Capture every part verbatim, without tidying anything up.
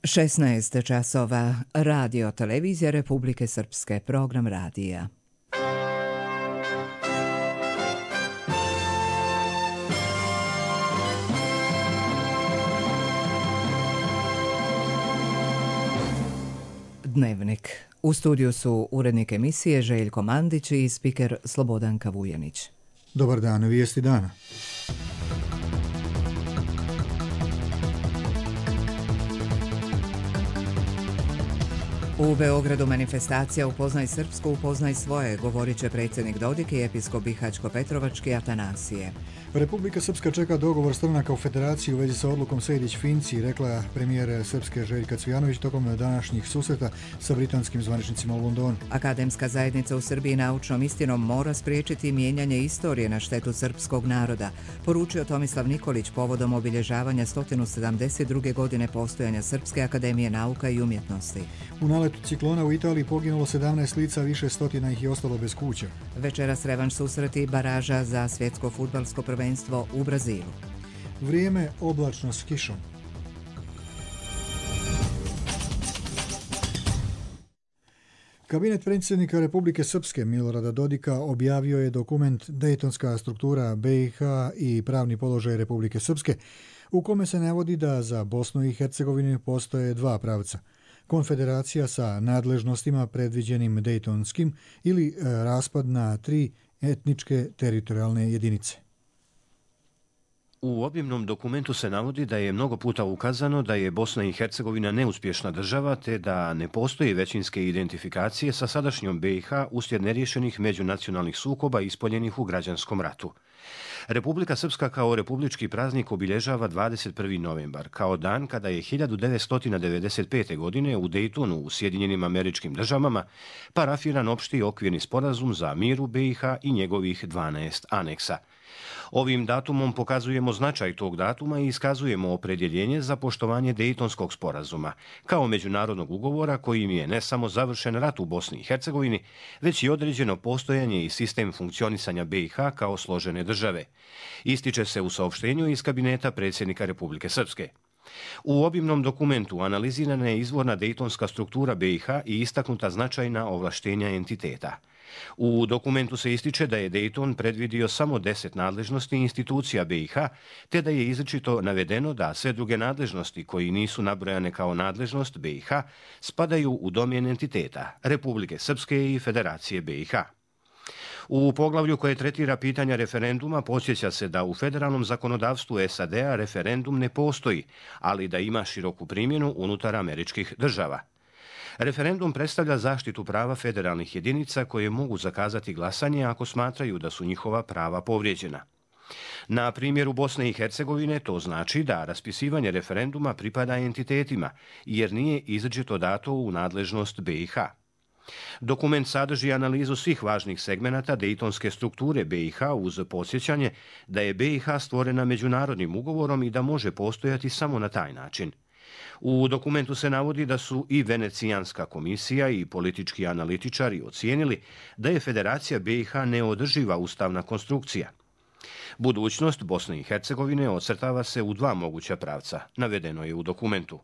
šesnaest časova, radio televizija Republike Srpske, program radija. Dnevnik. U studiju su urednik emisije Željko Mandić i spiker Slobodanka Vujanić. Dobar dan, vijesti dana. U Beogradu manifestacija Upoznaj Srpsku, upoznaj svoje, govorit će predsjednik Dodik i episkop Bihaćko-Petrovački Atanasije. Republika Srpska čeka dogovor stranaka u federaciji u vezi sa odlukom Sejdić-Finci, rekla premijer Srpske Željka Cvijanović tokom današnjih susreta sa britanskim zvaničnicima u Londonu. Akademska zajednica u Srbiji naučnom istinom mora spriječiti mijenjanje istorije na štetu srpskog naroda, poručio Tomislav Nikolić povodom obilježavanja sto sedamdeset druge godine postojanja Srpske akademije nauka i umjetnosti. U naletu ciklona u Italiji poginulo sedamnaest lica, više stotina ih je ostalo bez kuća. Večeras revanš susreti baraža za svjetsko fudbalsko prvenstvo u Brazilu. Vrijeme oblačno s kišom. Kabinet predsjednika Republike Srpske Milorada Dodika objavio je dokument Dejtonska struktura be i ha i pravni položaj Republike Srpske, u kome se navodi da za Bosnu i Hercegovinu postoje dva pravca: konfederacija sa nadležnostima predviđenim Dejtonskim ili raspad na tri etničke teritorijalne jedinice. U obimnom dokumentu se navodi da je mnogo puta ukazano da je Bosna i Hercegovina neuspješna država te da ne postoji većinske identifikacije sa sadašnjom be i ha uslijed neriješenih međunacionalnih sukoba ispoljenih u građanskom ratu. Republika Srpska kao republički praznik obilježava dvadeset prvi novembar, kao dan kada je hiljadu devetsto devedeset pete. godine u Dejtonu u Sjedinjenim Američkim Državama parafiran opšti okvirni sporazum za mir u be i ha i njegovih dvanaest aneksa. Ovim datumom pokazujemo značaj tog datuma i iskazujemo opredjeljenje za poštovanje Dejtonskog sporazuma, kao međunarodnog ugovora kojim je ne samo završen rat u Bosni i Hercegovini, već i određeno postojanje i sistem funkcionisanja be i ha kao složene države. Ističe se u saopštenju iz kabineta predsjednika Republike Srpske. U obimnom dokumentu analizirana je izvorna dejtonska struktura be i ha i istaknuta značajna ovlaštenja entiteta. U dokumentu se ističe da je Dejton predvidio samo deset nadležnosti institucija be i ha, te da je izričito navedeno da sve druge nadležnosti koji nisu nabrojane kao nadležnost be i ha spadaju u domen entiteta Republike Srpske i Federacije be i ha. U poglavlju koje tretira pitanja referenduma podsjeća se da u federalnom zakonodavstvu es a de a referendum ne postoji, ali da ima široku primjenu unutar američkih država. Referendum predstavlja zaštitu prava federalnih jedinica koje mogu zakazati glasanje ako smatraju da su njihova prava povrijeđena. Na primjeru Bosne i Hercegovine to znači da raspisivanje referenduma pripada entitetima, jer nije izričito dato u nadležnost be i ha. Dokument sadrži analizu svih važnih segmenata dejtonske strukture be i ha uz podsjećanje da je be i ha stvorena međunarodnim ugovorom i da može postojati samo na taj način. U dokumentu se navodi da su i Venecijanska komisija i politički analitičari ocijenili da je Federacija be i ha neodrživa ustavna konstrukcija. Budućnost Bosne i Hercegovine ocrtava se u dva moguća pravca, navedeno je u dokumentu.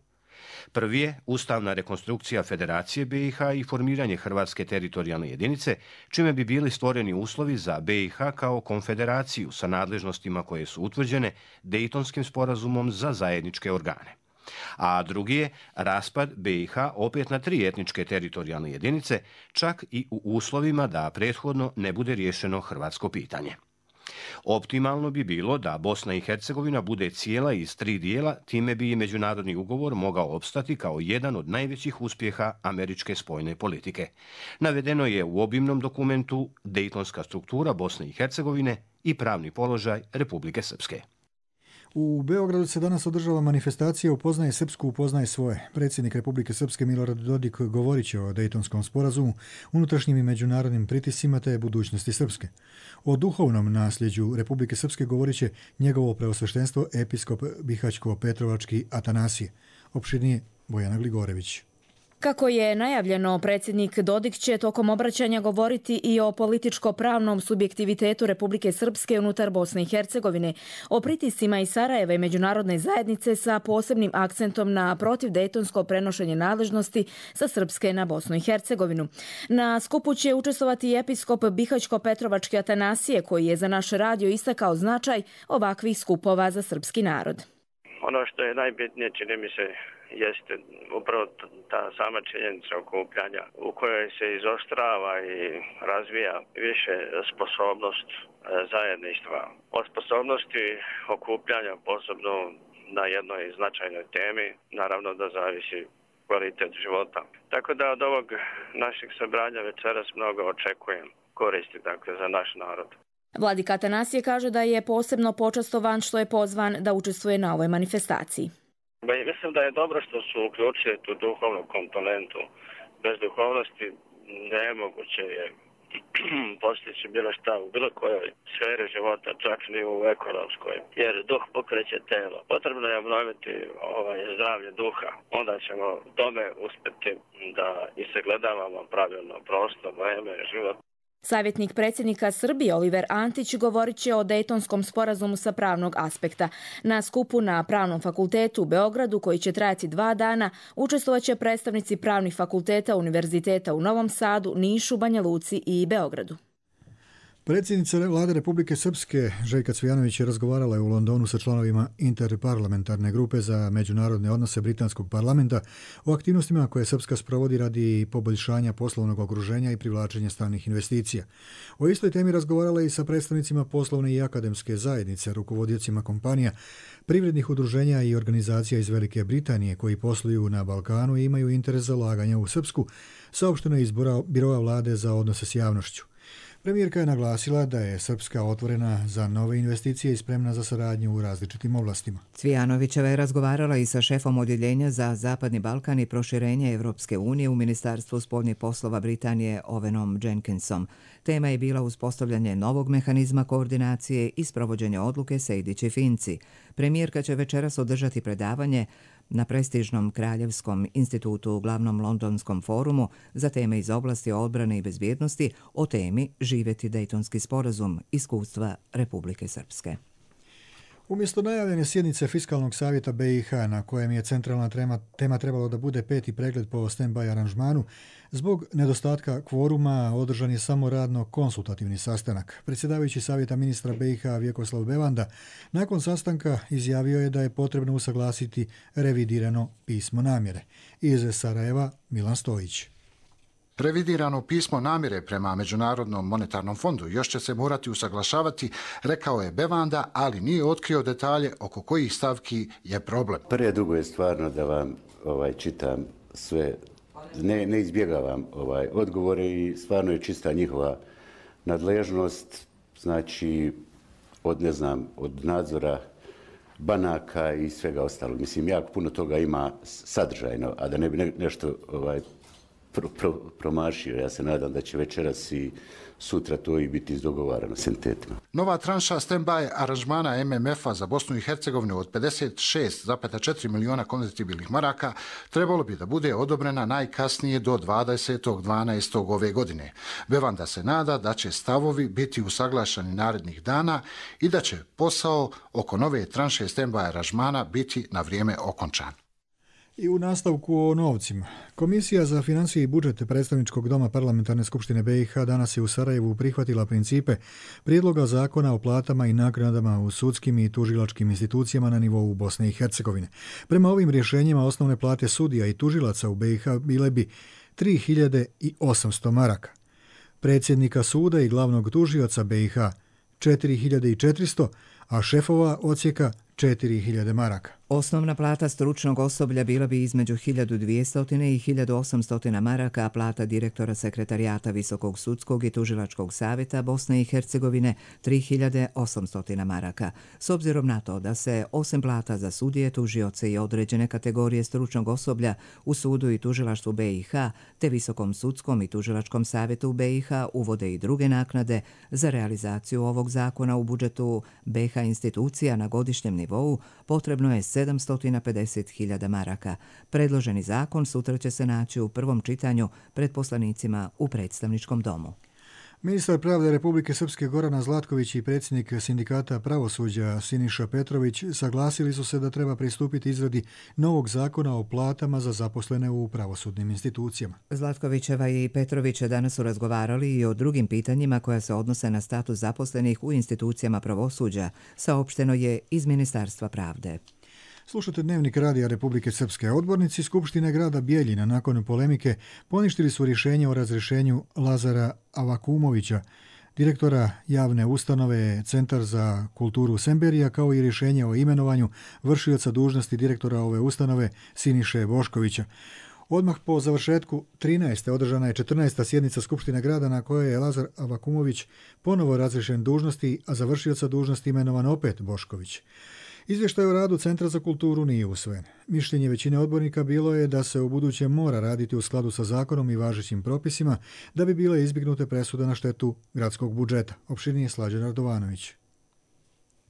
Prvi je ustavna rekonstrukcija Federacije be i ha i formiranje Hrvatske teritorijalne jedinice, čime bi bili stvoreni uslovi za be i ha kao konfederaciju sa nadležnostima koje su utvrđene Dejtonskim sporazumom za zajedničke organe. A drugi je raspad be i ha opet na tri etničke teritorijalne jedinice, čak i u uslovima da prethodno ne bude riješeno hrvatsko pitanje. Optimalno bi bilo da Bosna i Hercegovina bude cijela iz tri dijela, time bi i međunarodni ugovor mogao opstati kao jedan od najvećih uspjeha američke spoljne politike. Navedeno je u obimnom dokumentu Dejtonska struktura Bosne i Hercegovine i pravni položaj Republike Srpske. U Beogradu se danas održava manifestacija Upoznaj Srpsku, upoznaj svoje. Predsjednik Republike Srpske Milorad Dodik govorit će o Dejtonskom sporazumu, unutrašnjim i međunarodnim pritiscima te budućnosti Srpske. O duhovnom nasljeđu Republike Srpske govorit će njegovo preosveštenstvo episkop Bihaćko-Petrovački Atanasije. Opširnije Bojana Gligorević. Kako je najavljeno, predsjednik Dodik će tokom obraćanja govoriti i o političko-pravnom subjektivitetu Republike Srpske unutar Bosne i Hercegovine, o pritiscima iz Sarajeva i međunarodne zajednice sa posebnim akcentom na protivdejtonsko prenošenje nadležnosti sa Srpske na Bosnu i Hercegovinu. Na skupu će učestvovati i episkop Bihaćko-Petrovački Atanasije, koji je za naš radio istakao značaj ovakvih skupova za srpski narod. Ono što je najbitnije, čini mi se, jeste upravo ta sama činjenica okupljanja u kojoj se izoštrava i razvija više sposobnost zajedništva. Od sposobnosti okupljanja, posebno na jednoj značajnoj temi, naravno da zavisi kvalitet života. Tako da od ovog našeg sabranja večeras mnogo očekujem koristi, dakle, za naš narod. Vladika Atanasije kaže da je posebno počastovan što je pozvan da učestvuje na ovoj manifestaciji. Mislim da je dobro što su uključili tu duhovnu komponentu. Bez duhovnosti nemoguće je postići bilo šta u bilo kojoj sferi života, čak ni u ekonomskoj, jer duh pokreće telo. Potrebno je obnoviti ovaj, zdravlje duha, onda ćemo tome uspjeti da i sagledavamo pravilno prostor, vreme, život. Savjetnik predsjednika Srbije Oliver Antić govorit će o Dejtonskom sporazumu sa pravnog aspekta. Na skupu na Pravnom fakultetu u Beogradu, koji će trajati dva dana, učestvovat će predstavnici pravnih fakulteta univerziteta u Novom Sadu, Nišu, Banja Luci i Beogradu. Predsjednica vlade Republike Srpske Željka Cvijanović je razgovarala u Londonu sa članovima interparlamentarne grupe za međunarodne odnose britanskog parlamenta o aktivnostima koje Srpska sprovodi radi poboljšanja poslovnog okruženja i privlačenja stranih investicija. O istoj temi razgovarala i sa predstavnicima poslovne i akademske zajednice, rukovodiocima kompanija, privrednih udruženja i organizacija iz Velike Britanije koji posluju na Balkanu i imaju interes za ulaganja u Srpsku, saopšteno je iz Biroa vlade za odnose s javnošću. Premijerka je naglasila da je Srpska otvorena za nove investicije i spremna za saradnju u različitim oblastima. Cvijanovićeva je razgovarala i sa šefom odjeljenja za Zapadni Balkan i proširenje Evropske unije u Ministarstvu spoljnih poslova Britanije Owenom Jenkinsom. Tema je bila uspostavljanje novog mehanizma koordinacije i sprovođenje odluke Sejdić-Finci. Premijerka će večeras održati predavanje na prestižnom Kraljevskom institutu u glavnom londonskom forumu za teme iz oblasti odbrane i bezbjednosti o temi Živjeti Dejtonski sporazum, iskustva Republike Srpske. Umjesto najavljene sjednice Fiskalnog savjeta B i H, na kojem je centralna tema, tema trebalo da bude peti pregled po stand-by aranžmanu, zbog nedostatka kvoruma održan je samo radno konsultativni sastanak. Predsjedavajući savjeta ministra B i H Vjekoslav Bevanda nakon sastanka izjavio je da je potrebno usaglasiti revidirano pismo namjere. Iz Sarajeva Milan Stojić. Revidirano pismo namjere prema Međunarodnom monetarnom fondu još će se morati usaglašavati, rekao je Bevanda, ali nije otkrio detalje oko kojih stavki je problem. Prije drugo je stvarno da vam ovaj, čitam sve, ne, ne izbjegavam ovaj, odgovore i stvarno je čista njihova nadležnost, znači od, ne znam, od nadzora banaka i svega ostalog. Mislim, jako puno toga ima sadržajno, a da ne bi ne, nešto ovaj, Pro, pro, promašio. Ja se nadam da će večeras i sutra to i biti izdogovarano s entitetima. Nova tranša stand-by aranžmana M M F-a za Bosnu i Hercegovinu od pedeset šest zarez četiri miliona konvertibilnih maraka trebalo bi da bude odobrena najkasnije do dvadesetog dvanaestog ove godine. Bevanda se nada da će stavovi biti usaglašeni narednih dana i da će posao oko nove tranše stand-by aranžmana biti na vrijeme okončan. I u nastavku o novcima. Komisija za financije i budžete Predstavničkog doma Parlamentarne skupštine B i H danas je u Sarajevu prihvatila principe prijedloga zakona o platama i naknadama u sudskim i tužilačkim institucijama na nivou Bosne i Hercegovine. Prema ovim rješenjima osnovne plate sudija i tužilaca u B i H bile bi tri hiljade osamsto maraka. Predsjednika suda i glavnog tužioca B i H četiri hiljade četiristo, a šefova odsjeka četiri hiljade maraka. Osnovna plata stručnog osoblja bila bi između hiljadu dvjesto i hiljadu osamsto maraka, a plata direktora sekretarijata Visokog sudskog i tužilačkog savjeta Bosne i Hercegovine tri hiljade osamsto maraka. S obzirom na to da se osim plata za sudije, tužioce i određene kategorije stručnog osoblja u sudu i tužilaštvu B i H te Visokom sudskom i tužilačkom savjetu B i H uvode i druge naknade za realizaciju ovog zakona u budžetu B i H čelnika institucija na godišnjem nivou potrebno je sedamsto pedeset hiljada maraka. Predloženi zakon sutra će se naći u prvom čitanju pred poslanicima u predstavničkom domu. Ministar pravde Republike Srpske Gorana Zlatković i predsjednik sindikata pravosuđa Siniša Petrović saglasili su se da treba pristupiti izradi novog zakona o platama za zaposlene u pravosudnim institucijama. Zlatkovićeva i Petrović danas su razgovarali i o drugim pitanjima koja se odnose na status zaposlenih u institucijama pravosuđa, saopšteno je iz Ministarstva pravde. Slušate Dnevnik radija Republike Srpske. Odbornici Skupštine grada Bijeljina nakon polemike poništili su rješenje o razrješenju Lazara Avakumovića, direktora javne ustanove Centar za kulturu Semberija, kao i rješenje o imenovanju vršioca dužnosti direktora ove ustanove Siniše Boškovića. Odmah po završetku trinaeste održana je četrnaesta sjednica Skupštine grada na kojoj je Lazar Avakumović ponovo razrješen dužnosti, a za vršioca dužnosti imenovan opet Bošković. Izvještaj o radu Centra za kulturu nije usvojen. Mišljenje većine odbornika bilo je da se u buduće mora raditi u skladu sa zakonom i važećim propisima da bi bile izbjegnute presude na štetu gradskog budžeta. Opširnije Slađan Radovanović.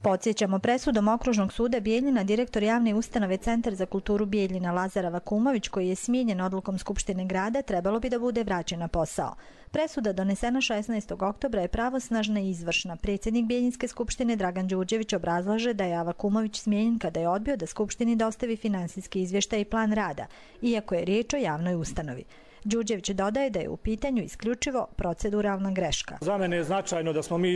Podsjećamo, presudom Okružnog suda Bijeljina direktor javne ustanove Centar za kulturu Bijeljina Lazar Avakumović, koji je smijenjen odlukom Skupštine grada, trebalo bi da bude vraćen na posao. Presuda donesena šesnaestog oktobra je pravosnažna i izvršna. Predsjednik Bijeljinske skupštine Dragan Đurđević obrazlaže da je Avakumović smijenjen kada je odbio da Skupštini dostavi finansijski izvještaj i plan rada, iako je riječ o javnoj ustanovi. Đurđević dodaje da je u pitanju isključivo proceduralna greška. Za mene je značajno da smo mi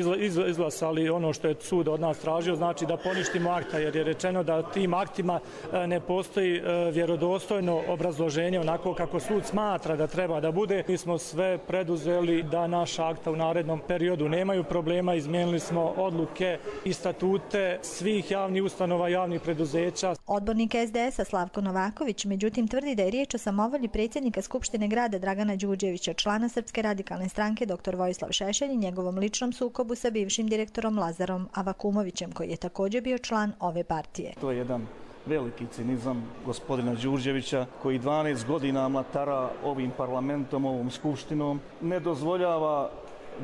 izglasali ono što je sud od nas tražio, znači da poništimo akta, jer je rečeno da tim aktima ne postoji vjerodostojno obrazloženje onako kako sud smatra da treba da bude. Mi smo sve preduzeli da naša akta u narednom periodu nemaju problema, izmijenili smo odluke i statute svih javnih ustanova, javnih preduzeća. Odbornik es de esa Slavko Novaković međutim tvrdi da je riječ o samovolji predsjednika Skupštine grada Dragana Đurđevića, člana Srpske radikalne stranke doktor Vojislav Šešelj i njegovom ličnom sukobu sa bivšim direktorom Lazarom Avakumovićem, koji je također bio član ove partije. To je jedan veliki cinizam gospodina Đurđevića, koji dvanaest godina mlatara ovim parlamentom, ovom skupštinom, ne dozvoljava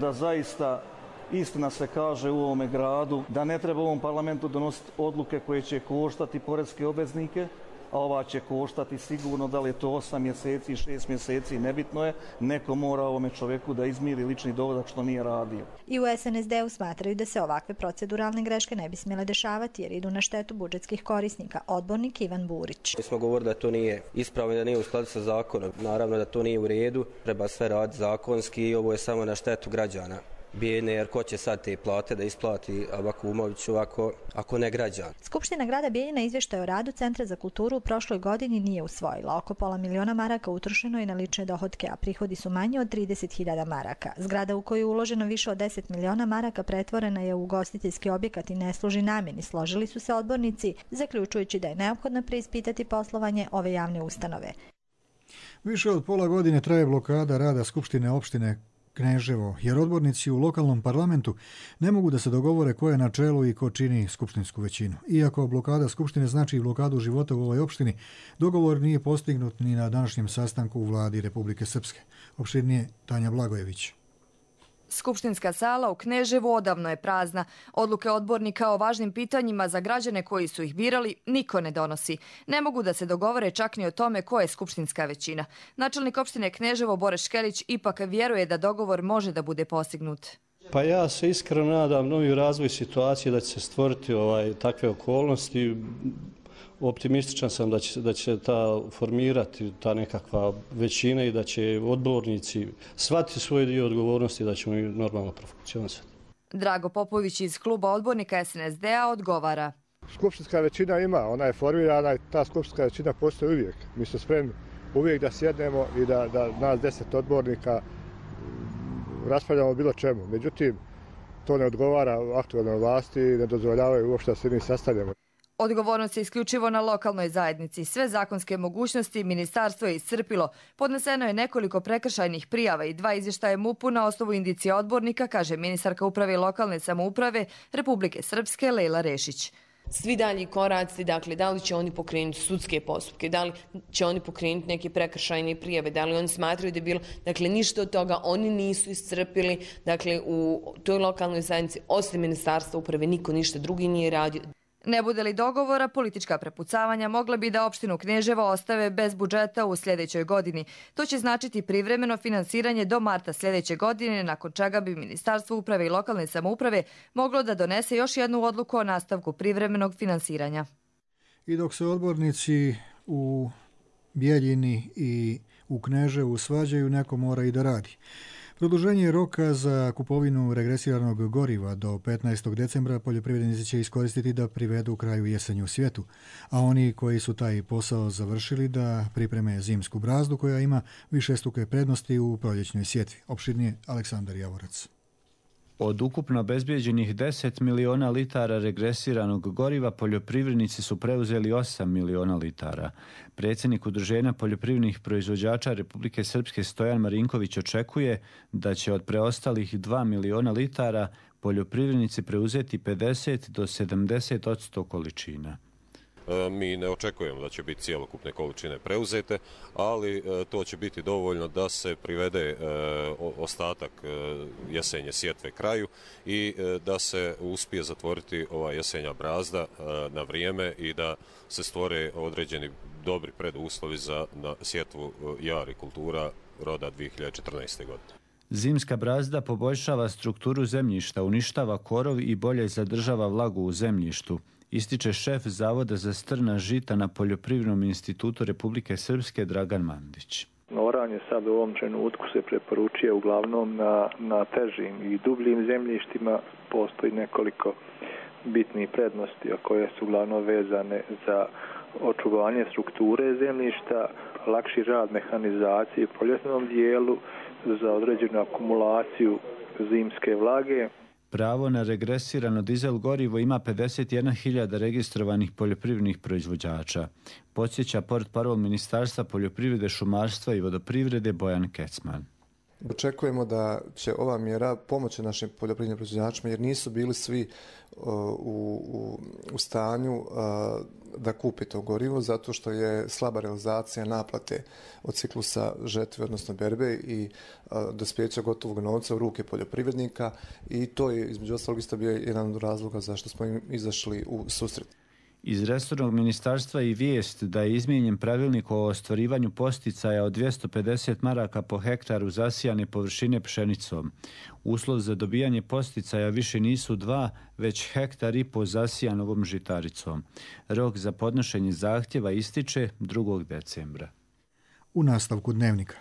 da zaista istina se kaže u ovome gradu, da ne treba u ovom parlamentu donositi odluke koje će koštati poreske obveznike, a ova će koštati sigurno, da li je to osam mjeseci, šest mjeseci, nebitno je, neko mora ovome čovjeku da izmiri lični dohodak što nije radio. I u es en es de u smatraju da se ovakve proceduralne greške ne bi smjele dešavati jer idu na štetu budžetskih korisnika. Odbornik Ivan Burić. Mi smo govorili da to nije ispravno, da nije u skladu sa zakonom. Naravno da to nije u redu, treba sve raditi zakonski i ovo je samo na štetu građana Bijeljine, jer ko će sad te plate da isplati Avakumoviću ako, ako ne građan. Skupština grada Bijeljina izvještaj o radu Centra za kulturu u prošloj godini nije usvojila. Oko pola miliona maraka utrošeno je na lične dohotke, a prihodi su manji od trideset hiljada maraka. Zgrada u koju je uloženo više od deset miliona maraka pretvorena je u ugostiteljski objekat i ne služi namjeni, složili su se odbornici, zaključujući da je neophodno preispitati poslovanje ove javne ustanove. Više od pola godine traje blokada rada Skupštine opštine Kneževo, jer odbornici u lokalnom parlamentu ne mogu da se dogovore ko je na čelu i ko čini skupštinsku većinu. Iako blokada Skupštine znači blokadu života u ovoj opštini, dogovor nije postignut ni na današnjem sastanku u vladi Republike Srpske. Opširnije Tanja Blagojević. Skupštinska sala u Kneževu odavno je prazna. Odluke odbornika o važnim pitanjima za građane koji su ih birali niko ne donosi. Ne mogu da se dogovore čak ni o tome ko je skupštinska većina. Načelnik opštine Kneževo Boreš Škelić ipak vjeruje da dogovor može da bude postignut. Pa ja se iskreno nadam novi razvoj situacije da će se stvoriti ovaj, takve okolnosti. Optimističan sam da će, da će ta formirati ta nekakva većina i da će odbornici shvatiti svoj dio odgovornosti da ćemo normalno profunkcionisati. Drago Popović iz kluba odbornika es en es de a odgovara. Skupštinska većina ima, ona je formirana i ta skupštinska većina postoji uvijek. Mi smo spremni uvijek da sjednemo i da, da nas deset odbornika raspravljamo bilo čemu. Međutim, to ne odgovara aktualnoj vlasti i ne dozvoljavaju uopšte da se mi sastavljamo. Odgovornost je isključivo na lokalnoj zajednici. Sve zakonske mogućnosti ministarstvo je iscrpilo. Podneseno je nekoliko prekršajnih prijava i dva izvještaja M U P-u na osnovu indicija odbornika, kaže ministarka uprave i lokalne samouprave Republike Srpske Lejla Rešić. svi dalji koraci, dakle, da li će oni pokrenuti sudske postupke, da li će oni pokrenuti neke prekršajne prijave, da li oni smatraju da je bilo, dakle, ništa od toga oni nisu iscrpili, dakle, u toj lokalnoj zajednici, osim Ministarstva uprave, niko ništa drugi nije radio. Ne bude li dogovora, politička prepucavanja mogla bi da opštinu Kneževo ostave bez budžeta u sljedećoj godini. To će značiti privremeno finansiranje do marta sljedeće godine, nakon čega bi Ministarstvo uprave i lokalne samouprave moglo da donese još jednu odluku o nastavku privremenog finansiranja. I dok se odbornici u Bijeljini i u Kneževu svađaju, neko mora i da radi. Produženje roka za kupovinu regresiranog goriva do petnaestog decembra poljoprivrednici će iskoristiti da privedu kraju jesenju svijetu, a oni koji su taj posao završili da pripreme zimsku brazdu koja ima višestruke prednosti u proljećnoj sjetvi. Opširnije Aleksandar Javorac. Od ukupno obezbijeđenih deset miliona litara regresiranog goriva, poljoprivrednici su preuzeli osam miliona litara. Predsjednik Udruženja poljoprivrednih proizvođača Republike Srpske Stojan Marinković očekuje da će od preostalih dva miliona litara poljoprivrednici preuzeti pedeset do sedamdeset posto količina. Mi ne očekujemo da će biti cijelokupne količine preuzete, ali to će biti dovoljno da se privede ostatak jesenje sjetve kraju i da se uspije zatvoriti ova jesenja brazda na vrijeme i da se stvore određeni dobri preduslovi za sjetvu jari kultura roda dvije hiljade četrnaeste. godine. Zimska brazda poboljšava strukturu zemljišta, uništava korov i bolje zadržava vlagu u zemljištu, ističe šef Zavoda za strna žita na Poljoprivrednom institutu Republike Srpske Dragan Mandić. Oranje sad u ovom trenutku se preporučuje uglavnom na, na težim i dubljim zemljištima. Postoji nekoliko bitnih prednosti, a koje su uglavnom vezane za očuvanje strukture zemljišta, lakši rad mehanizacije u poljoprivrednom dijelu, za određenu akumulaciju zimske vlage. Pravo na regresirano dizel gorivo ima pedeset jedna hiljada registrovanih poljoprivrednih proizvođača, podsjeća portparol Ministarstva poljoprivrede, šumarstva i vodoprivrede Bojan Kecman. Očekujemo da će ova mjera pomoći našim poljoprivrednim proizvođačima jer nisu bili svi uh, u, u, u stanju uh, da kupi to gorivo zato što je slaba realizacija naplate od ciklusa žetve, odnosno berbe i uh, dospjeća gotovog novca u ruke poljoprivrednika i to je između ostalog isto bio jedan od razloga zašto smo im izašli u susret. Iz resornog ministarstva i vijest da je izmijenjen pravilnik o ostvarivanju posticaja od dvjesto pedeset maraka po hektaru zasijane površine pšenicom. Uslov za dobijanje posticaja više nisu dva, već hektar i po zasijanovom žitaricom. Rok za podnošenje zahtjeva ističe drugog decembra. U nastavku dnevnika.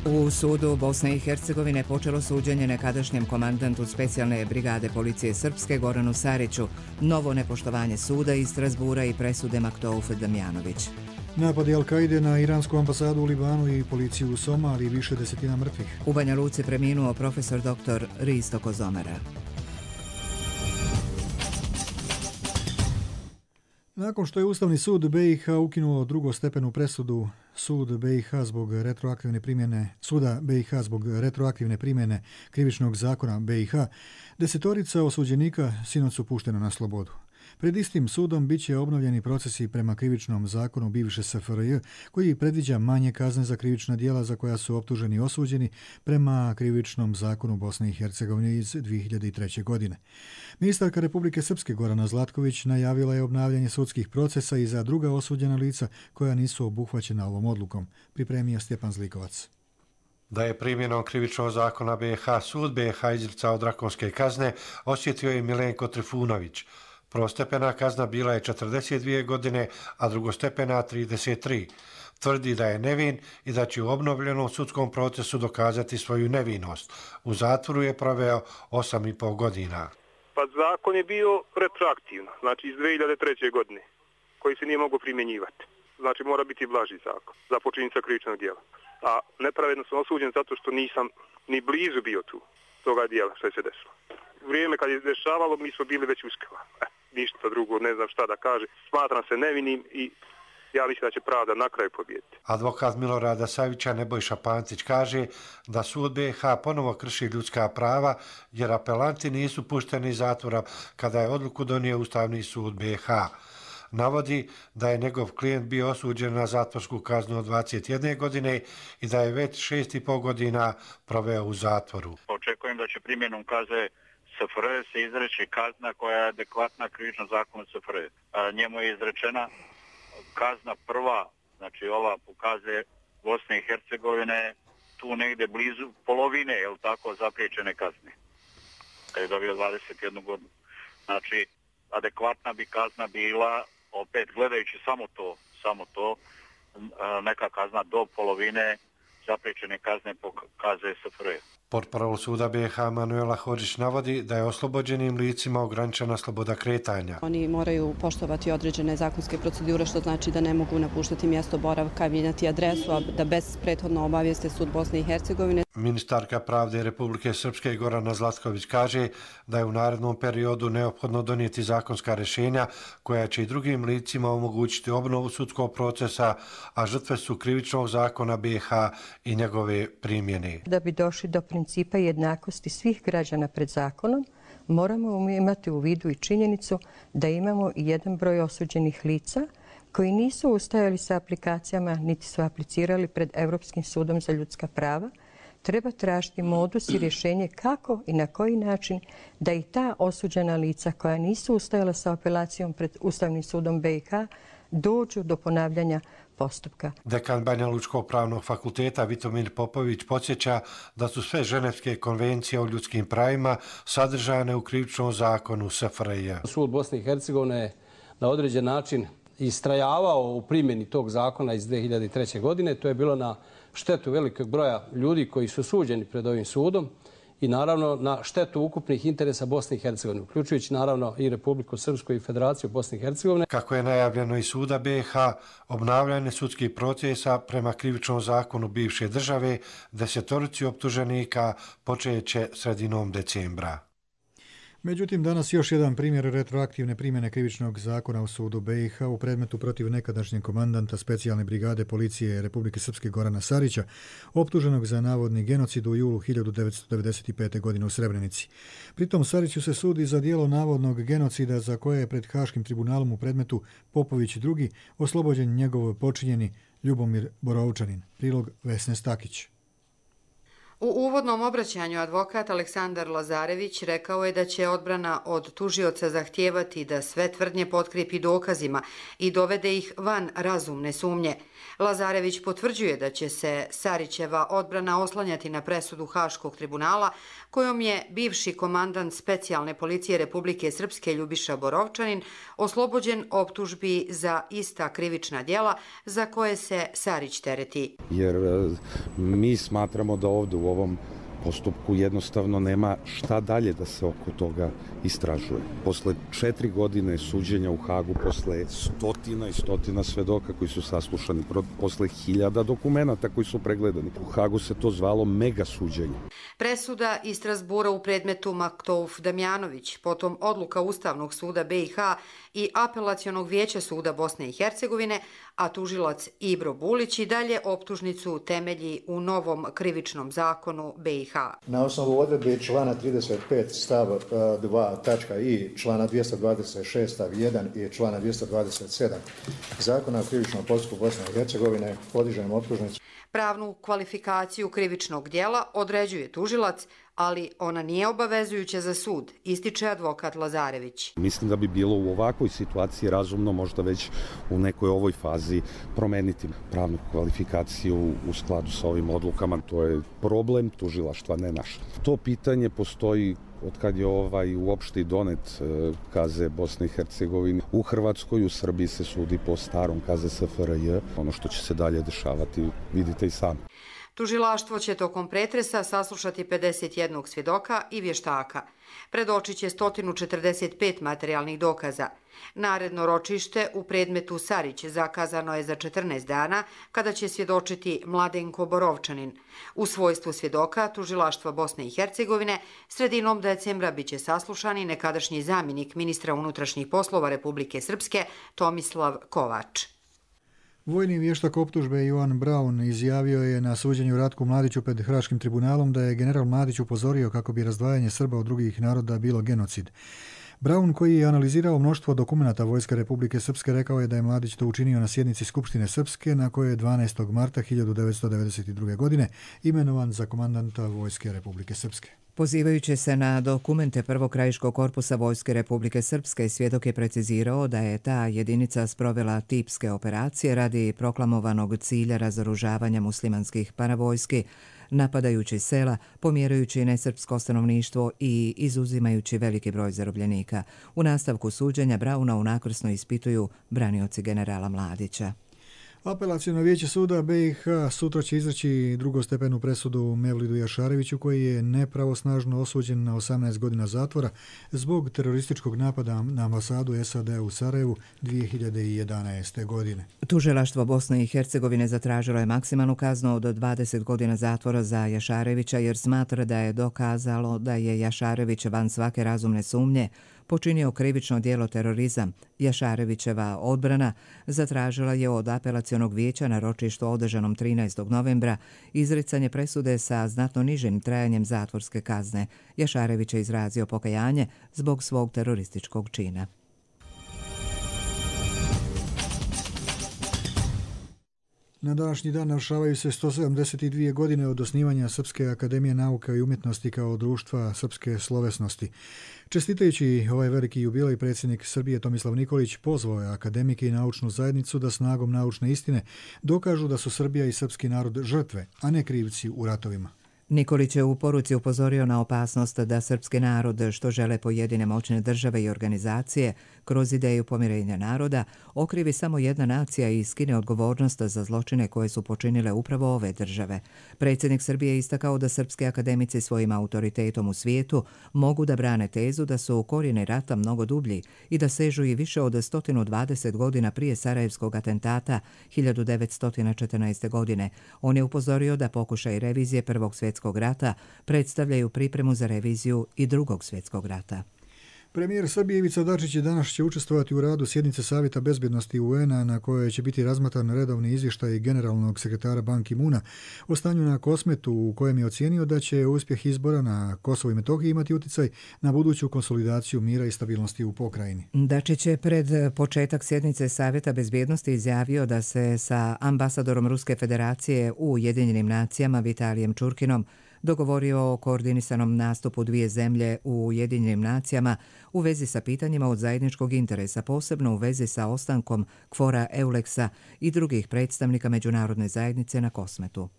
U sudu Bosne i Hercegovine počelo suđenje nekadašnjem komandantu specijalne brigade policije Srpske Goranu Sariću, novo nepoštovanje suda iz Strasbura i presude Maktouf Damjanović. Napadi Al-Kaide na iransku ambasadu u Libanu i policiju u Somaliji i više desetina mrtvih. U Banja Luci preminuo profesor doktor Risto Kozomera. Nakon što je Ustavni sud B i H ukinuo drugostepenu presudu sud B i H zbog retroaktivne primjene suda B i H zbog retroaktivne primjene krivičnog zakona B i H, desetorica osuđenika sinoć su puštena na slobodu. Pred istim sudom bit će obnovljeni procesi prema krivičnom zakonu bivše S F R J, koji predviđa manje kazne za krivična djela za koja su optuženi i osuđeni prema krivičnom zakonu Bosne i Hercegovine iz dvije hiljade treće. godine. Ministarka Republike Srpske Gorana Zlatković najavila je obnavljanje sudskih procesa i za druga osuđena lica koja nisu obuhvaćena ovom odlukom, pripremio Stjepan Zlikovac. Da je primjenom krivičnog zakona B i H sud B i H izricao drakonske kazne, osjetio je Milenko Trifunović. Prvostepena kazna bila je četrdeset dvije godine, a drugostepena trideset tri. Tvrdi da je nevin i da će u obnovljenom sudskom procesu dokazati svoju nevinost. U zatvoru je proveo osam i pol godina. Pa zakon je bio retroaktivno, znači iz dvije hiljade treće. godine, koji se nije mogao primjenjivati. Znači mora biti blaži zakon za počinjenja krivičnog djela. A nepravedno sam osuđen zato što nisam ni blizu bio tu toga djela što je se desilo. Vrijeme kad je dešavalo mi smo bili već uskava. E, ništa drugo, ne znam šta da kaže. Smatram se nevinim i Ja mislim da će pravda na kraju pobijediti. Advokat Milorada Savića Nebojša Pantić kaže da sud B i H ponovo krši ljudska prava jer apelanti nisu pušteni iz zatvora kada je odluku donio Ustavni sud B i H. Navodi da je njegov klijent bio osuđen na zatvorsku kaznu od dvadeset jedne godine i da je već šest i pol godina proveo u zatvoru. Očekujem da će primjenom kazne S F R J se izreći kazna koja je adekvatna krivičnom zakonu S F R J. Njemu je izrečena kazna prva, znači ova pokazuje Bosne i Hercegovine, tu negde blizu polovine, je li tako, zapriječene kazne. Kad je dobio dvadeset jednu godinu. Znači, adekvatna bi kazna bila, opet gledajući samo to, samo to, neka kazna do polovine zapriječene kazne pokazuje S F R J. Portparol suda B i H Manuela Hodžić navodi da je oslobođenim licima ograničena sloboda kretanja. Oni moraju poštovati određene zakonske procedure, što znači da ne mogu napuštati mjesto boravka, mijenjati adresu, a da bez prethodno obavijeste sud Bosne i Hercegovine. Ministarka pravde Republike Srpske Gorana Zlatković kaže da je u narednom periodu neophodno donijeti zakonska rješenja koja će i drugim licima omogućiti obnovu sudskog procesa, a žrtve su krivičnog zakona B i H i njegove primjene. Da bi došli do principa jednakosti svih građana pred zakonom, moramo imati u vidu i činjenicu da imamo i jedan broj osuđenih lica koji nisu ustajali sa aplikacijama niti su aplicirali pred Europskim sudom za ljudska prava. Treba tražiti modus i rješenje kako i na koji način da i ta osuđena lica koja nisu ustajala sa apelacijom pred Ustavnim sudom B i H dođu do ponavljanja postupka. Dekan Banja Lučkog pravnog fakulteta Vitomir Popović podsjeća da su sve ženevske konvencije o ljudskim pravima sadržane u krivičnom zakonu S F R J. Sud Bosne i Hercegovine na određen način istrajavao u primjeni tog zakona iz dvije hiljade treće. godine. To je bilo na štetu velikog broja ljudi koji su suđeni pred ovim sudom i naravno na štetu ukupnih interesa Bosne i Hercegovine, uključujući naravno i Republiku Srpsku i Federaciju Bosne i Hercegovine. Kako je najavljeno iz suda B i H, obnavljanje sudskih procesa prema krivičnom zakonu bivše države desetorici optuženika počeće sredinom decembra. Međutim, danas još jedan primjer retroaktivne primjene krivičnog zakona u sudu B i H u predmetu protiv nekadašnjeg komandanta specijalne brigade policije Republike Srpske Gorana Sarića, optuženog za navodni genocid u julu hiljadu devetsto devedeset pete. godine u Srebrenici. Pritom Sariću se sudi za dijelo navodnog genocida za koje je pred Haškim tribunalom u predmetu Popović drugi oslobođen njegov počinjeni Ljubomir Borovčanin. Prilog Vesne Stakić. U uvodnom obraćanju advokat Aleksandar Lazarević rekao je da će odbrana od tužioca zahtijevati da sve tvrdnje potkrijepi dokazima i dovede ih van razumne sumnje. Lazarević potvrđuje da će se Sarićeva odbrana oslanjati na presudu Haškog tribunala kojom je bivši komandant specijalne policije Republike Srpske Ljubiša Borovčanin oslobođen optužbi za ista krivična djela za koje se Sarić tereti. Jer mi smatramo da ovdje u ovom postupku jednostavno nema šta dalje da se oko toga istražuje. Posle četiri godine suđenja u Hagu, posle stotina i stotina svedoka koji su saslušani, posle hiljada dokumenata koji su pregledani, u Hagu se to zvalo mega suđenje. Presuda iz Strasbura u predmetu Maktouf Damjanović, potom odluka Ustavnog suda B i H i Apelacionog vijeća suda Bosne i Hercegovine, a tužilac Ibro Bulić i dalje optužnicu temelji u novom krivičnom zakonu B i H. Na osnovu odredbe člana trideset pet stav dva tačka i člana dvjesto dvadeset šest stav jedan i člana dvjesto dvadeset sedam Zakona o krivičnom postupku Bosne i Hercegovine podižemo optužnicu. Pravnu kvalifikaciju krivičnog djela određuje tužilac, ali ona nije obavezujuća za sud, ističe advokat Lazarević. Mislim da bi bilo u ovakvoj situaciji razumno možda već u nekoj ovoj fazi promeniti pravnu kvalifikaciju u skladu sa ovim odlukama. To je problem tužilaštva, ne naš. To pitanje postoji od kad je ovaj uopšte donet K Z Bosne i Hercegovine. U Hrvatskoj, u Srbiji se sudi po starom K Z S F R J. Ono što će se dalje dešavati, vidite i sami. Tužilaštvo će tokom pretresa saslušati pedeset jednog svjedoka i vještaka. Predočit će sto četrdeset pet materijalnih dokaza. Naredno ročište u predmetu Sarić zakazano je za četrnaest dana, kada će svjedočiti Mladenko Borovčanin. U svojstvu svjedoka tužilaštva Bosne i Hercegovine sredinom decembra biće saslušani nekadašnji zamjenik ministra unutrašnjih poslova Republike Srpske Tomislav Kovač. Vojni vještak optužbe Jovan Braun izjavio je na suđenju Ratku Mladiću pred Haškim tribunalom da je general Mladić upozorio kako bi razdvajanje Srba od drugih naroda bilo genocid. Braun, koji je analizirao mnoštvo dokumenata Vojske Republike Srpske, rekao je da je Mladić to učinio na sjednici Skupštine Srpske, na kojoj je dvanaestog marta hiljadu devetsto devedeset druge. godine imenovan za komandanta Vojske Republike Srpske. Pozivajući se na dokumente Prvog krajiškog korpusa Vojske Republike Srpske, svjedok je precizirao da je ta jedinica sprovela tipske operacije radi proklamovanog cilja razoružavanja muslimanskih paravojski, napadajući sela, pomjerajući nesrpsko stanovništvo i izuzimajući veliki broj zarobljenika. U nastavku suđenja Brauna unakrsno ispituju branioci generala Mladića. Apelaciono vijeće suda B i H sutra će izreći drugostepenu presudu Mevlidu Jašareviću, koji je nepravosnažno osuđen na osamnaest godina zatvora zbog terorističkog napada na ambasadu S A D u Sarajevu dvije hiljade jedanaeste. godine. Tužilaštvo Bosne i Hercegovine zatražilo je maksimalnu kaznu od dvadeset godina zatvora za Jašarevića jer smatra da je dokazalo da je Jašarević van svake razumne sumnje počinio krivično djelo terorizam. Jašarevićeva odbrana zatražila je od apelacionog vijeća na ročištu održanom trinaestog novembra izricanje presude sa znatno nižim trajanjem zatvorske kazne. Jašarević je izrazio pokajanje zbog svog terorističkog čina. Na današnji dan navršavaju se sto sedamdeset dvije godine od osnivanja Srpske akademije nauka i umjetnosti kao društva srpske slovesnosti. Čestitajući ovaj veliki jubilej, predsjednik Srbije Tomislav Nikolić pozvao je akademike i naučnu zajednicu da snagom naučne istine dokažu da su Srbija i srpski narod žrtve, a ne krivci u ratovima. Nikolić je u poruci upozorio na opasnost da srpski narod, što žele pojedine moćne države i organizacije, kroz ideju pomirenja naroda, okrivi samo jedna nacija i skine odgovornost za zločine koje su počinile upravo ove države. Predsjednik Srbije je istakao da srpski akademici svojim autoritetom u svijetu mogu da brane tezu da su korijeni rata mnogo dublji i da sežu i više od sto dvadeset godina prije Sarajevskog atentata hiljadu devetsto četrnaeste. godine. On je upozorio da pokušaj revizije Prvog svjetskog rata predstavljaju pripremu za reviziju i Drugog svjetskog rata. Premijer Srbije Ivica Dačić danas će učestvovati u radu sjednice Savjeta bezbjednosti U N-a na kojoj će biti razmatran redovni izvještaj generalnog sekretara Ban Ki-moona o stanju na Kosmetu, u kojem je ocijenio da će uspjeh izbora na Kosovu i Metohiji imati utjecaj na buduću konsolidaciju mira i stabilnosti u pokrajini. Dačić je pred početak sjednice Savjeta bezbjednosti izjavio da se sa ambasadorom Ruske federacije u Ujedinjenim nacijama Vitalijem Čurkinom dogovorio o koordinisanom nastupu dvije zemlje u Ujedinjenim nacijama u vezi sa pitanjima od zajedničkog interesa, posebno u vezi sa ostankom Kvora Euleksa i drugih predstavnika međunarodne zajednice na Kosmetu.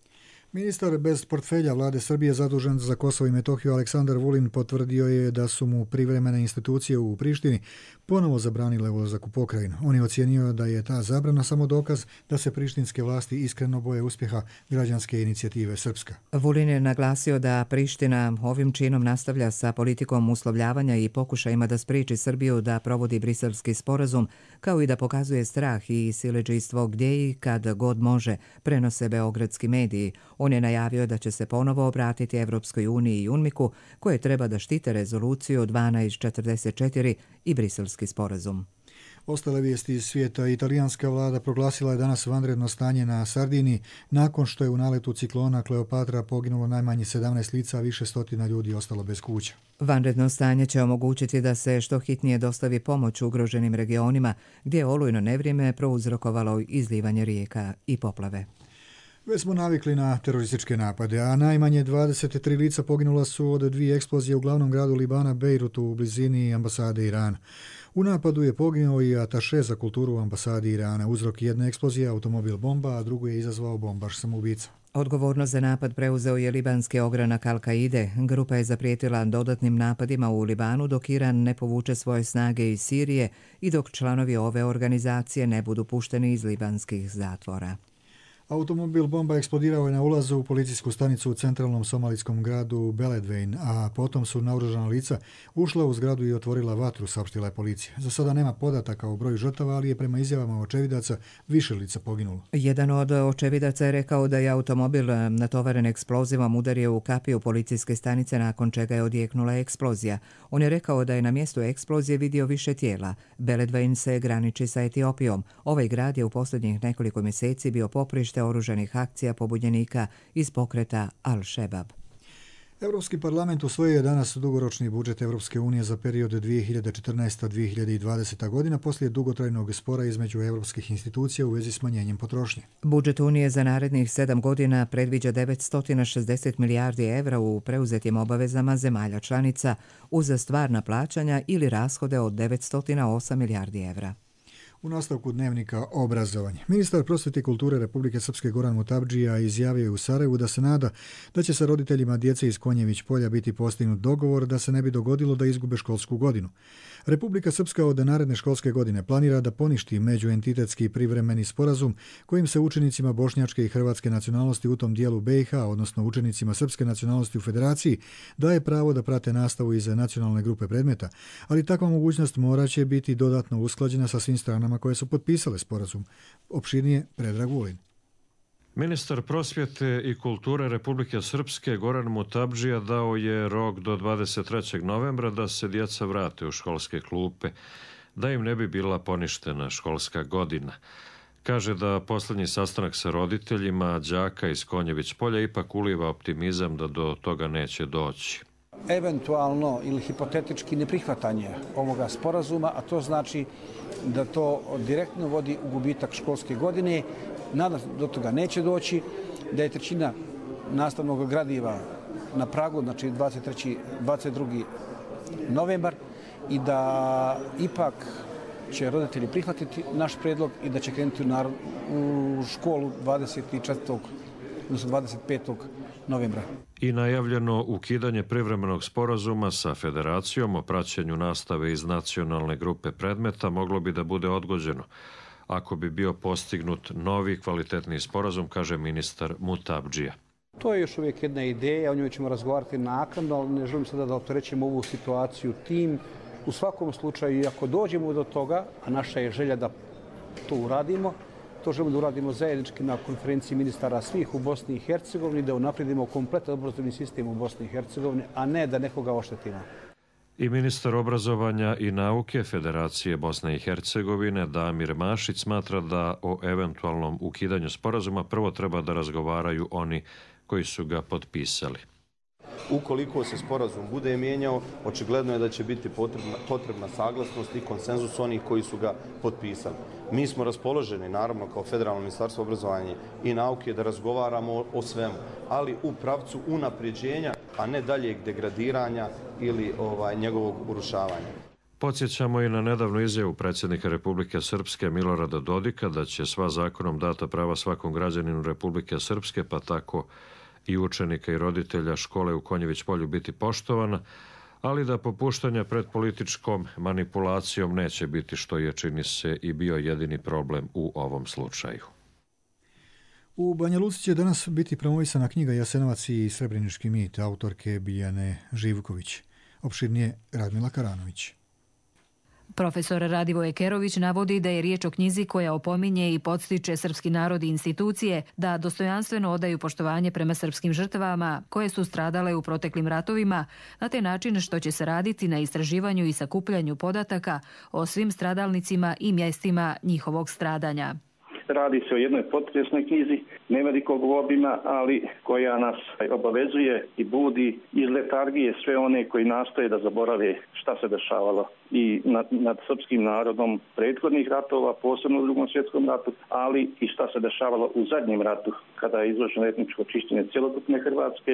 Ministar bez portfelja vlade Srbije zadužen za Kosovo i Metohiju Aleksandar Vulin potvrdio je da su mu privremene institucije u Prištini ponovo zabranile ulazak u pokrajinu. On je ocijenio da je ta zabrana samo dokaz da se prištinske vlasti iskreno boje uspjeha građanske inicijative Srpska. Vulin je naglasio da Priština ovim činom nastavlja sa politikom uslovljavanja i pokušajima da spriječi Srbiju da provodi briselski sporazum, kao i da pokazuje strah i siledžijstvo gdje i kad god može, prenose beogradski mediji. On je najavio da će se ponovo obratiti Evropskoj uniji i UNMIK-u, koje treba da štite rezoluciju dvanaest četrdeset četiri i briselski sporazum. Ostale vijesti iz svijeta. Italijanska vlada proglasila je danas vanredno stanje na Sardiniji nakon što je u naletu ciklona Kleopatra poginulo najmanje sedamnaest lica, a više stotina ljudi ostalo bez kuća. Vanredno stanje će omogućiti da se što hitnije dostavi pomoć ugroženim regionima gdje je olujno nevrijeme prouzrokovalo izlivanje rijeka i poplave. Već smo navikli na terorističke napade, a najmanje dvadeset tri lica poginula su od dvije eksplozije u glavnom gradu Libana, Bejrutu, u blizini ambasade Irana. U napadu je poginuo i ataše za kulturu u ambasadi Irana. Uzrok jedne eksplozije automobil bomba, a drugu je izazvao bombaš samoubica. Odgovornost za napad preuzeo je libanski ogranak Al-Kaide. Grupa je zaprijetila dodatnim napadima u Libanu dok Iran ne povuče svoje snage iz Sirije i dok članovi ove organizacije ne budu pušteni iz libanskih zatvora. Automobil bomba eksplodirao je na ulazu u policijsku stanicu u centralnom somalijskom gradu Beledweyne, a potom su naoružana lica ušla u zgradu i otvorila vatru, saopštila je policija. Za sada nema podataka o broju žrtava, ali je prema izjavama očevidaca više lica poginulo. Jedan od očevidaca je rekao da je automobil natovaren eksplozivom udario u kapiju policijske stanice, nakon čega je odjeknula eksplozija. On je rekao da je na mjestu eksplozije vidio više tijela. Beledweyne se graniči sa Etiopijom. Ovaj grad je u posljednjih nekoliko mjeseci bio poprište oružanih akcija pobunjenika iz pokreta Al-Shebab. Europski parlament usvojio je danas dugoročni budžet Europske unije za period dvije hiljade četrnaesta do dvije hiljade dvadeseta godina poslije dugotrajnog spora između europskih institucija u vezi smanjenjem potrošnje. Budžet Unije za narednih sedam godina predviđa devetsto šezdeset milijardi evra u preuzetim obavezama zemalja članica uz stvarna plaćanja ili rashode od devetsto osam milijardi evra. U nastavku dnevnika obrazovanje. Ministar prosvjete i kulture Republike Srpske Goran Mutabdžija izjavio je u Sarajevu da se nada da će sa roditeljima djece iz Konjević polja biti postignut dogovor da se ne bi dogodilo da izgube školsku godinu. Republika Srpska od naredne školske godine planira da poništi međuentitetski privremeni sporazum kojim se učenicima bošnjačke i hrvatske nacionalnosti u tom dijelu B i H, odnosno učenicima srpske nacionalnosti u Federaciji, daje pravo da prate nastavu iz nacionalne grupe predmeta, ali takva mogućnost mora će biti dodatno usklađena sa svim stranama koje su potpisale sporazum. Opširnije Predrag Vulin. Ministar prosvjete i kulture Republike Srpske Goran Mutabdžija dao je rok do dvadeset trećeg novembra da se djeca vrate u školske klupe, da im ne bi bila poništena školska godina. Kaže da posljednji sastanak sa roditeljima đaka iz Konjević polja ipak uliva optimizam da do toga neće doći. Eventualno ili hipotetički neprihvatanje ovoga sporazuma, a to znači da to direktno vodi u gubitak školske godine. Nadam se do toga neće doći, da je trećina nastavnog gradiva na pragu, znači dvadeset treći, dvadeset drugi novembar, i da ipak će roditelji prihvatiti naš predlog i da će krenuti u školu dvadeset četvrtog odnosno dvadeset petog novembra. I najavljeno ukidanje privremenog sporazuma sa Federacijom o praćenju nastave iz nacionalne grupe predmeta moglo bi da bude odgođeno ako bi bio postignut novi kvalitetni sporazum, kaže ministar Mutabdžija. To je još uvijek jedna ideja, o njoj ćemo razgovarati naknadno, ali ne želim sada da opterećemo ovu situaciju tim. U svakom slučaju, ako dođemo do toga, a naša je želja da to uradimo, to želimo da uradimo zajednički na konferenciji ministara svih u Bosni i Hercegovini, da unaprijedimo kompletan obrazovni sistem u Bosni i Hercegovini, a ne da nekoga oštetimo. I ministar obrazovanja i nauke Federacije Bosne i Hercegovine Damir Mašić smatra da o eventualnom ukidanju sporazuma prvo treba da razgovaraju oni koji su ga potpisali. Ukoliko se sporazum bude mijenjao, očigledno je da će biti potrebna, potrebna saglasnost i konsenzus onih koji su ga potpisali. Mi smo raspoloženi, naravno, kao Federalno ministarstvo obrazovanja i nauke, da razgovaramo o, o svemu, ali u pravcu unapređenja, a ne daljeg degradiranja ili ovaj, njegovog urušavanja. Podsjećamo i na nedavnu izjavu predsjednika Republike Srpske Milorada Dodika da će sva zakonom data prava svakom građaninu Republike Srpske, pa tako i učenika i roditelja škole u Konjević polju biti poštovana, ali da popuštanja pred političkom manipulacijom neće biti, što je, čini se, i bio jedini problem u ovom slučaju. U Banja Luci će danas biti promovisana knjiga Jasenovac i Srebrenički mit autorke Biljane Živković. Opširnije Radmila Karanović. Profesor Radivoje Kerović navodi da je riječ o knjizi koja opominje i podstiče srpski narod i institucije da dostojanstveno odaju poštovanje prema srpskim žrtvama koje su stradale u proteklim ratovima, na taj način što će se raditi na istraživanju i sakupljanju podataka o svim stradalnicima i mjestima njihovog stradanja. Radi se o jednoj potresnoj knjizi, nevelikog obima, ali koja nas obavezuje i budi iz letargije sve one koji nastoje da zaborave šta se dešavalo i nad, nad srpskim narodom prethodnih ratova, posebno u Drugom svjetskom ratu, ali i šta se dešavalo u zadnjem ratu, kada je izvršeno etničko čišćenje cjelokupne Hrvatske,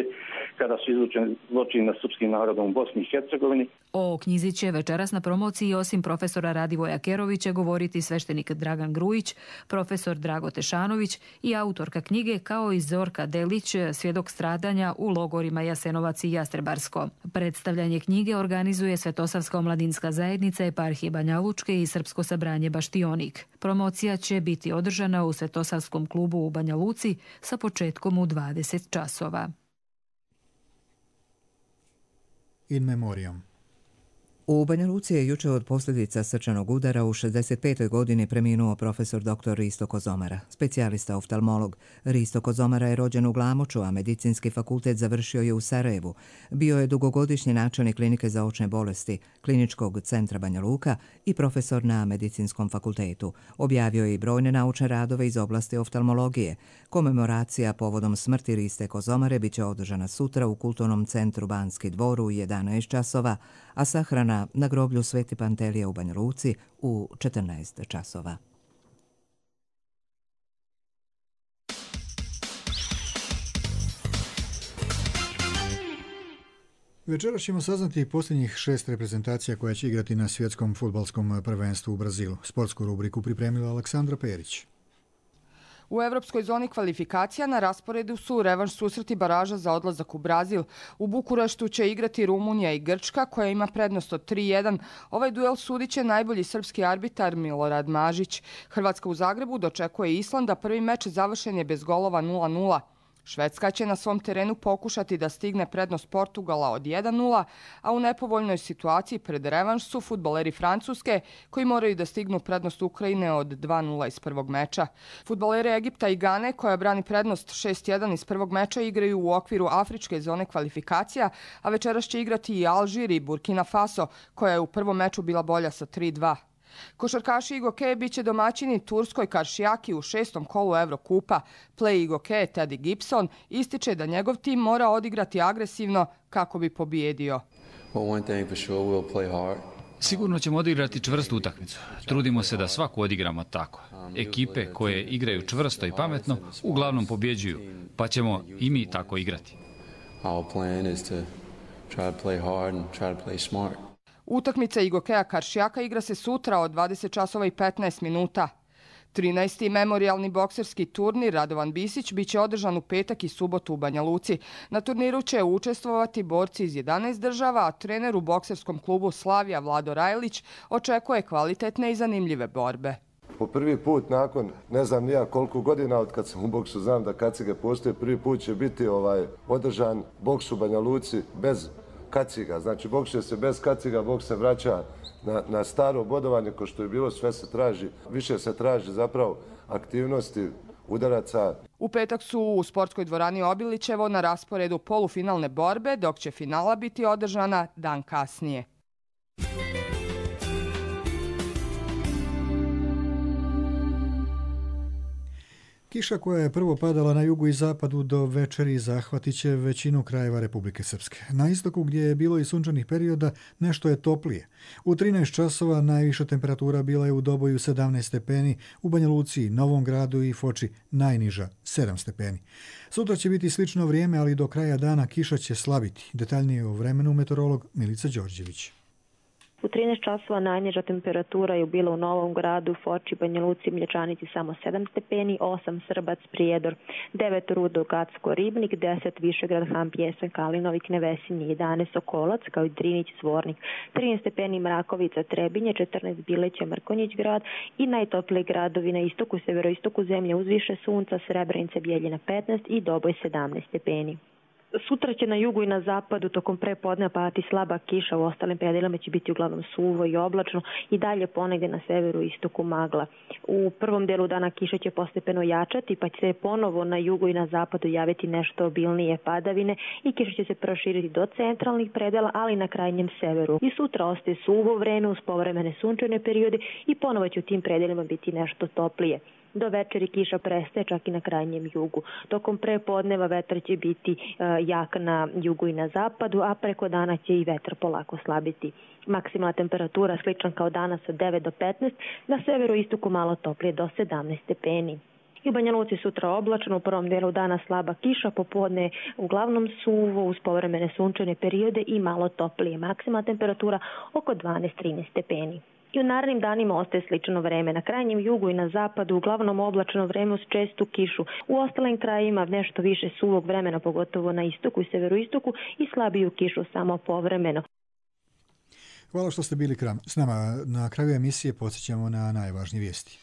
kada su izvršeni zločini nad srpskim narodom u Bosni i Hercegovini. O knjizi će večeras na promociji osim profesora Radivoja Kerovića govoriti sveštenik Dragan Grujić, profesor profesor Drago Tešanović i autorka knjige, kao i Zorka Delić, svjedok stradanja u logorima Jasenovac i Jastrebarsko. Predstavljanje knjige organizuje Svetosavska omladinska zajednica Eparhije Banja Lučke i Srpsko sabranje Baštionik. Promocija će biti održana u Svetosavskom klubu u Banja Luci sa početkom u dvadeset časova. In memoriam. U Banja Luci je juče od posljedica srčanog udara u šezdeset petoj godini preminuo profesor doktor Risto Kozomara, specijalista oftalmolog. Risto Kozomara je rođen u Glamoču, a medicinski fakultet završio je u Sarajevu. Bio je dugogodišnji načelnik klinike za očne bolesti, Kliničkog centra Banja Luka i profesor na medicinskom fakultetu. Objavio je i brojne naučne radove iz oblasti oftalmologije. Komemoracija povodom smrti Riste Kozomare biće održana sutra u Kulturnom centru Banski dvor u jedanaest časova, a sahrana na groblju Sveti Pantelije u Banja Luci u četrnaest časova. Večeras ćemo saznati posljednjih šest reprezentacija koja će igrati na svjetskom fudbalskom prvenstvu u Brazilu. Sportsku rubriku pripremila Aleksandra Perić. U evropskoj zoni kvalifikacija na rasporedu su revanš susreti baraža za odlazak u Brazil. U Bukureštu će igrati Rumunija i Grčka, koja ima prednost od tri jedan. Ovaj duel sudit će najbolji srpski arbitar Milorad Mažić. Hrvatska u Zagrebu dočekuje Islanda, prvi meč završen je bez golova nula nula. Švedska će na svom terenu pokušati da stigne prednost Portugala od jedan nula, a u nepovoljnoj situaciji pred revanš su fudbaleri Francuske, koji moraju da stignu prednost Ukrajine od dva nula iz prvog meča. Fudbaleri Egipta i Gane, koja brani prednost šest jedan iz prvog meča, igraju u okviru afričke zone kvalifikacija, a večeras će igrati i Alžir i Burkina Faso, koja je u prvom meču bila bolja sa tri dva. Košarkaši Igoke biće domaćini turskoj Karšijaki u šestom kolu Evrokupa. Play Igoke Teddy Gibson ističe da njegov tim mora odigrati agresivno kako bi pobijedio. Sigurno ćemo odigrati čvrstu utakmicu. Trudimo se da svaku odigramo tako. Ekipe koje igraju čvrsto i pametno uglavnom pobjeđuju, pa ćemo i mi tako igrati. Utakmica Igokeja Karšijaka igra se sutra od dvadeset časova i petnaest minuta. trinaesti memorijalni bokserski turnir Radovan Bisić biće održan u petak i subotu u Banja Luci. Na turniru će učestvovati borci iz jedanaest država, a trener u bokserskom klubu Slavija Vlado Rajlić očekuje kvalitetne i zanimljive borbe. Po prvi put nakon ne znam nija koliko godina od kad sam u boksu, znam da kacige postoje, prvi put će biti ovaj održan boks u Banja Luci bez kaciga. Znači, boksuje se bez kaciga, boks se vraća na, na staro bodovanje, ko što je bilo, sve se traži, više se traži zapravo aktivnosti udaraca. U petak su u sportskoj dvorani Obilićevo na rasporedu polufinalne borbe, dok će finala biti održana dan kasnije. Kiša koja je prvo padala na jugu i zapadu do večeri zahvatit će većinu krajeva Republike Srpske. Na istoku, gdje je bilo i sunčanih perioda, nešto je toplije. U trinaest časova najviša temperatura bila je u Doboju sedamnaest stepeni, u Banja Luci, Novom Gradu i Foči najniža sedam stepeni. Sutra će biti slično vrijeme, ali do kraja dana kiša će slabiti. Detaljnije o vremenu meteorolog Milica Đorđević. U trinaest časova najniža temperatura je bila u Novom Gradu, Foči, Banja Luci, Mlječanici samo sedam stepeni, osam Srbac, Prijedor, devet Rudo, Gacko, Ribnik, deset Višegrad, Ham, Pjesan, Kalinovik, Nevesin, jedanaest Sokolac, kao i Drinić, Zvornik, trinaest stepeni Mrakovica, Trebinje, četrnaest Bileća, Mrkonjić grad i najtopliji gradovi na istoku, severoistoku zemlje uz više sunca, Srebrenica, Bijeljina petnaest i Doboj sedamnaest stepeni. Sutra će na jugu i na zapadu tokom prepodneva padati slaba kiša, u ostalim predelima će biti uglavnom suvo i oblačno i dalje ponegdje na severu i istoku magla. U prvom delu dana kiša će postepeno jačati, pa će se ponovo na jugu i na zapadu javiti nešto obilnije padavine i kiša će se proširiti do centralnih predela, ali i na krajnjem severu. I sutra ostaje suvo vreme uz povremene sunčane periode i ponovo će u tim predelima biti nešto toplije. Do večeri kiša prestaje čak i na krajnjem jugu. Tokom prepodneva vetar će biti e, jak na jugu i na zapadu, a preko dana će i vetar polako slabiti. Maksimalna temperatura slična kao danas od devet do petnaest, na severu istoku malo toplije do sedamnaest stepeni. I u Banja Luci sutra oblačno, u prvom delu dana slaba kiša, popodne uglavnom suvo uz povremene sunčane periode i malo toplije. Maksimalna temperatura oko dvanaest do trinaest stepeni. I u narednim danima ostaje slično vreme. Na krajnjem jugu i na zapadu uglavnom oblačno vreme uz čestu kišu. U ostalim krajevima nešto više suvog vremena, pogotovo na istoku i severoistoku, i slabiju kišu samo povremeno. Hvala što ste bili s nama. Na kraju emisije podsjećamo na najvažnije vijesti.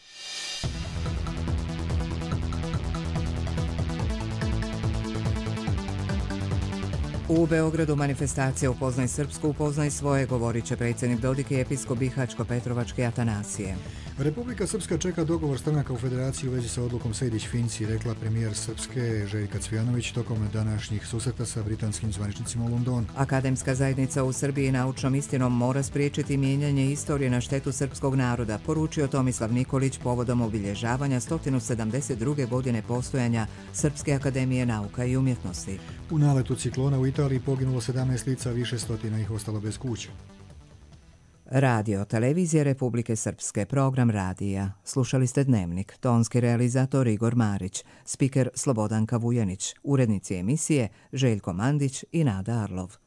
U Beogradu manifestacija Upoznaj Srpsku, upoznaj svoje, govorit će predsjednik Dodik i episkop Bihaćko-Petrovačke Atanasije. Republika Srpska čeka dogovor stranaka u federaciji u vezi sa odlukom Sejdić-Finci, rekla premijer Srpske Željka Cvijanović tokom današnjih susreta sa britanskim zvaničnicima u Londonu. Akademska zajednica u Srbiji naučnom istinom mora spriječiti mijenjanje istorije na štetu srpskog naroda, poručio Tomislav Nikolić povodom obilježavanja sto sedamdeset druge godine postojanja Srpske akademije nauka i umjetnosti. U naletu ciklona u Italiji poginulo sedamnaest lica, više stotina ih ostalo bez kuća. Radio Televizije Republike Srpske, program radija. Slušali ste Dnevnik, tonski realizator Igor Marić, spiker Slobodanka Vujanić, urednici emisije Željko Mandić i Nada Arlov.